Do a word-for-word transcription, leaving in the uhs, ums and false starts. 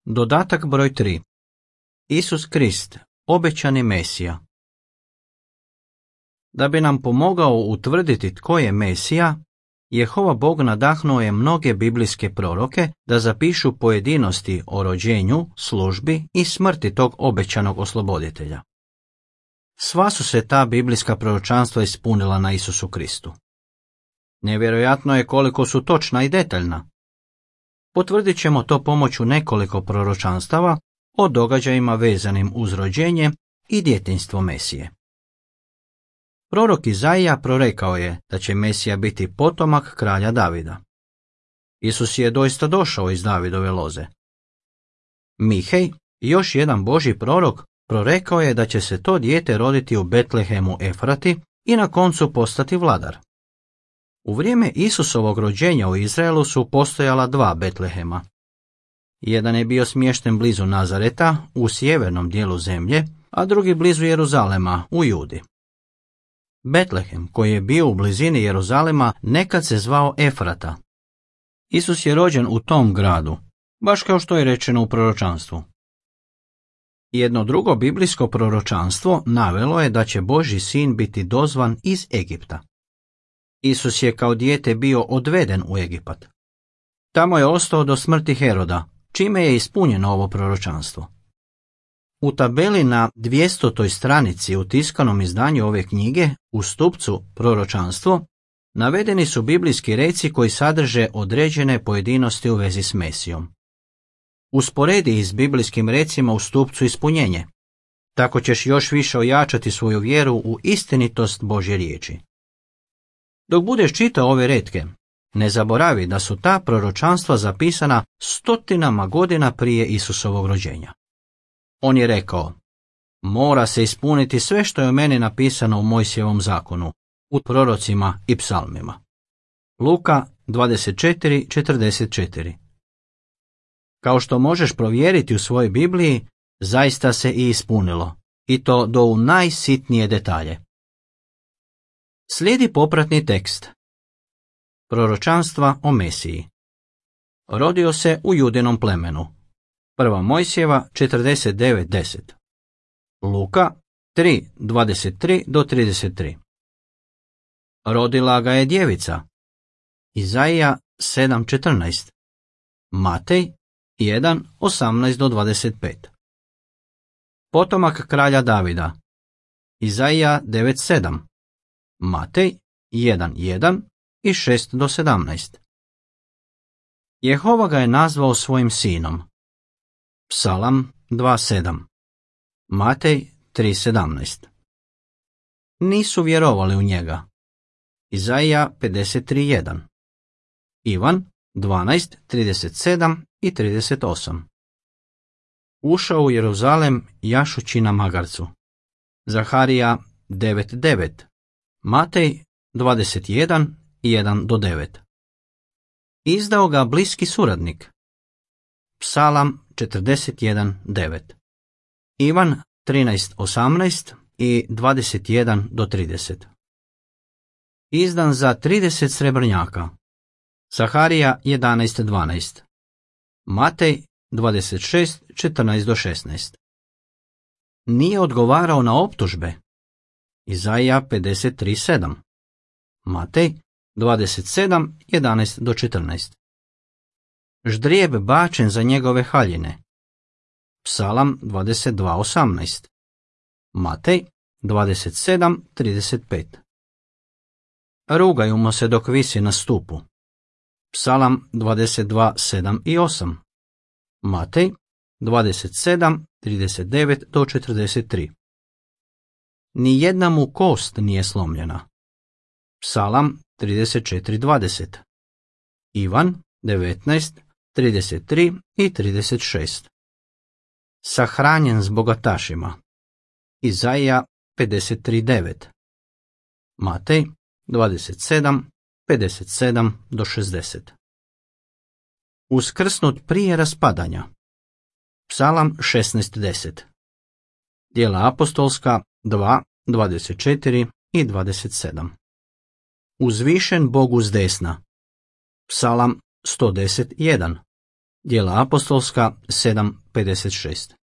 Dodatak broj tri. Isus Krist, obećani Mesija. Da bi nam pomogao utvrditi tko je Mesija, Jehova Bog nadahnuo je mnoge biblijske proroke da zapišu pojedinosti o rođenju, službi i smrti tog obećanog osloboditelja. Sva su se ta biblijska proročanstva ispunila na Isusu Kristu. Nevjerojatno je koliko su točna i detaljna. Potvrdit ćemo to pomoću nekoliko proročanstava o događajima vezanim uz rođenje i djetinjstvo Mesije. Prorok Izaija prorekao je da će Mesija biti potomak kralja Davida. Isus je doista došao iz Davidove loze. Mihej, još jedan Božji prorok, prorekao je da će se to dijete roditi u Betlehemu Efrati i na koncu postati vladar. U vrijeme Isusovog rođenja u Izraelu su postojala dva Betlehema. Jedan je bio smješten blizu Nazareta u sjevernom dijelu zemlje, a drugi blizu Jeruzalema u Judi. Betlehem, koji je bio u blizini Jeruzalema, nekad se zvao Efrata. Isus je rođen u tom gradu, baš kao što je rečeno u proročanstvu. Jedno drugo biblijsko proročanstvo navelo je da će Božji sin biti dozvan iz Egipta. Isus je kao dijete bio odveden u Egipat. Tamo je ostao do smrti Heroda, čime je ispunjeno ovo proročanstvo. U tabeli na dvjesetoj stranici u tiskanom izdanju ove knjige, u stupcu Proročanstvo, navedeni su biblijski reci koji sadrže određene pojedinosti u vezi s Mesijom. Usporedi ih s biblijskim recima u stupcu Ispunjenje. Tako ćeš još više ojačati svoju vjeru u istinitost Božje riječi. Dok budeš čitao ove retke, ne zaboravi da su ta proročanstva zapisana stotinama godina prije Isusovog rođenja. On je rekao: mora se ispuniti sve što je o meni napisano u Mojsijevom zakonu, u prorocima i psalmima. Luka dvadeset četiri četrdeset četiri. Kao što možeš provjeriti u svojoj Bibliji, zaista se i ispunilo, i to do u najsitnije detalje. Slijedi popratni tekst. Proročanstva o Mesiji. Rodio se u Judinom plemenu. Prva Mojsijeva četrdeset devet deset. Luka tri dvadeset tri do trideset tri. Rodila ga je djevica. Izaija sedam četrnaest. Matej jedan osamnaest do dvadeset pet. Potomak kralja Davida. Izaija devet sedam. Matej jedan jedan i šest do sedamnaest. Jehova ga je nazvao svojim sinom. Psalam dva sedam. Matej tri sedamnaest. Nisu vjerovali u njega. Izaija pedeset tri jedan. Ivan dvanaest trideset sedam i trideset osam. Ušao u Jeruzalem jašući na magarcu. Zaharija devet devet. Matej dvadeset jedan jedan do devet. Izdao ga bliski suradnik. Psalam četrdeset jedan devet. Ivan trinaest osamnaest i dvadeset jedan do trideset. Izdan za trideset srebrnjaka. Zaharija jedanaest dvanaest. Matej dvadeset šest četrnaest do šesnaest. Nije odgovarao na optužbe. Izaija pedeset tri sedam. Matej dvadeset sedam jedanaest do četrnaest. Ždrijeb bačen za njegove haljine. Psalam dvadeset dva osamnaest. Matej dvadeset sedam trideset pet. Rugaju mu se dok visi na stupu. Psalam dvadeset dva sedam i osam. Matej dvadeset sedam trideset devet do četrdeset tri. Ni jedna mu kost nije slomljena. Psalam trideset četiri dvadeset. Ivan devetnaest trideset tri i trideset šest. Sahranjen s bogatašima. Izaija pedeset tri devet. Matej dvadeset sedam pedeset sedam do šezdeset. Uskrsnut prije raspadanja. Psalam šesnaest deset. Djela apostolska dva dvadeset četiri i dvadeset sedam. Uzvišen Bog uz desna. Psalam sto deset jedan. Djela apostolska sedam pedeset šest.